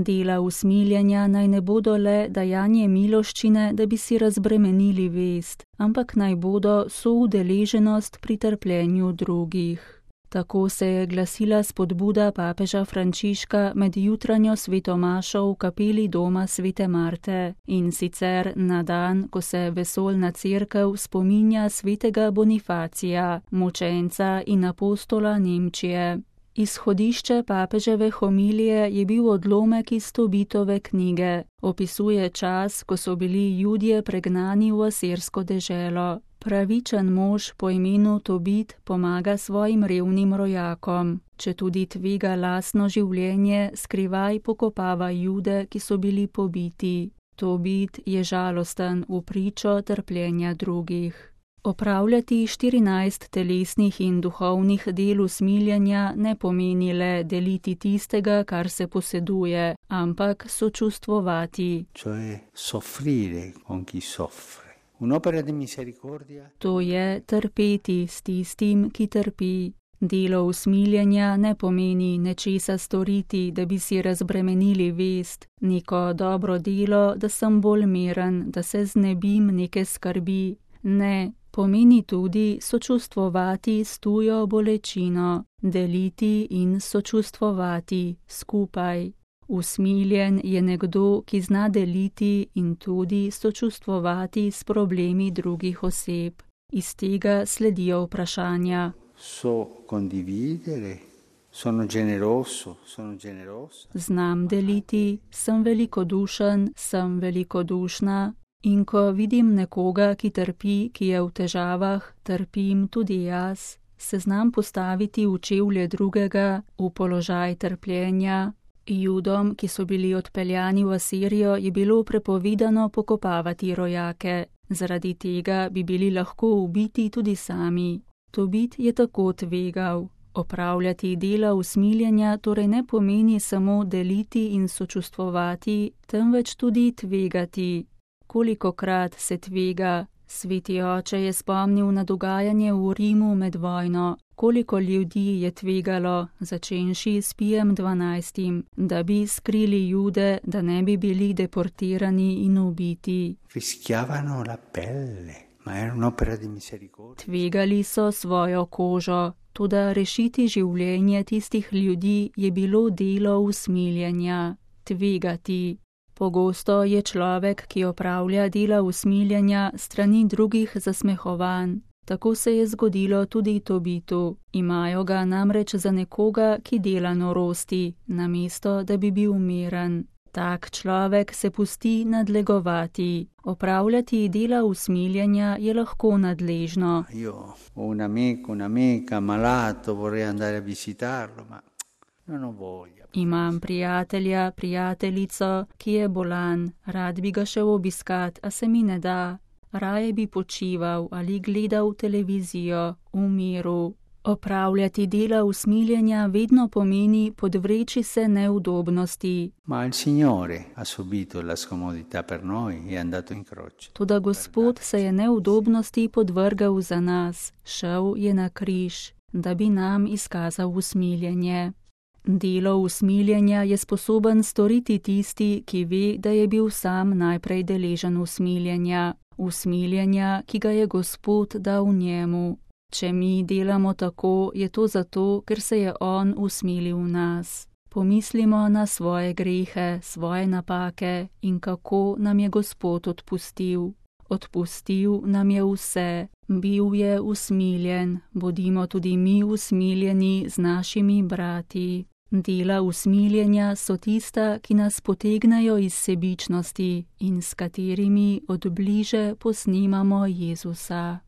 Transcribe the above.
Dela usmiljenja naj ne bodo le dajanje miloščine, da bi si razbremenili vest, ampak naj bodo soudeleženost pri trpljenju drugih. Tako se je glasila spodbuda papeža Frančiška med jutranjo svetomašo v kapeli doma svete Marte, in sicer na dan, ko se vesoljna cerkev spominja svetega Bonifacija, mučenca in apostola Nemčije. Izhodišče papeževe homilije je bil odlomek iz Tobitove knjige. Opisuje čas, ko so bili Judje pregnani v asirsko deželo. Pravičen mož po imenu Tobit pomaga svojim revnim rojakom. Četudi tvega lastno življenje, skrivaj pokopava Jude, ki so bili pobiti. Tobit je žalosten v pričo trpljenja drugih. Opravljati 14 telesnih in duhovnih del usmiljenja ne pomeni le deliti tistega, kar se poseduje, ampak sočustvovati. To je trpeti s tistim, ki trpi. Delo usmiljenja ne pomeni nečesa storiti, da bi si razbremenili vest, neko dobro delo, da sem bolj miren, da se znebim neke skrbi. Ne, pomeni tudi sočustvovati s tujo bolečino, deliti in sočustvovati skupaj. Usmiljen je nekdo, ki zna deliti in tudi sočustvovati s problemi drugih oseb. Iz tega sledijo vprašanja. Znam deliti, sem velikodušen, sem velikodušna. In ko vidim nekoga, ki trpi, ki je v težavah, trpim tudi jaz, se znam postaviti v čevlje drugega, v položaj trpljenja. Judom, ki so bili odpeljani v Asirijo, je bilo prepovedano pokopavati rojake. Zaradi tega bi bili lahko ubiti tudi sami. Tobit je tako tvegal. Opravljati dela usmiljenja torej ne pomeni samo deliti in sočustvovati, temveč tudi tvegati. Kolikokrat se tvega? Sveti oče je spomnil na dogajanje v Rimu med vojno. Koliko ljudi je tvegalo, začenši s Pijem XII., da bi skrili Jude, da ne bi bili deportirani in ubiti. Tvegali so svojo kožo, toda rešiti življenje tistih ljudi je bilo delo usmiljenja. Tvegati. Pogosto je človek, ki opravlja dela usmiljenja, strani drugih zasmehovan. Tako se je zgodilo tudi Tobitu. Imajo ga namreč za nekoga, ki dela norosti, namesto da bi bil miren. Tak človek se pusti nadlegovati. Opravljati dela usmiljenja je lahko nadležno. Imam prijatelja, prijateljico, ki je bolan, rad bi ga šel obiskat, a se mi ne da. Raje bi počival ali gledal televizijo v miru. Opravljati dela usmiljenja vedno pomeni podvreči se neudobnosti. Toda Gospod se je neudobnosti podvrgal za nas, šel je na križ, da bi nam izkazal usmiljenje. Delo usmiljenja je sposoben storiti tisti, ki ve, da je bil sam najprej deležen usmiljenja. Usmiljenja, ki ga je Gospod dal njemu. Če mi delamo tako, je to zato, ker se je on usmilil v nas. Pomislimo na svoje grehe, svoje napake in kako nam je Gospod odpustil. Odpustil nam je vse, bil je usmiljen, bodimo tudi mi usmiljeni z našimi brati. Dela usmiljenja so tista, ki nas potegnejo iz sebičnosti in s katerimi od bliže posnemamo Jezusa.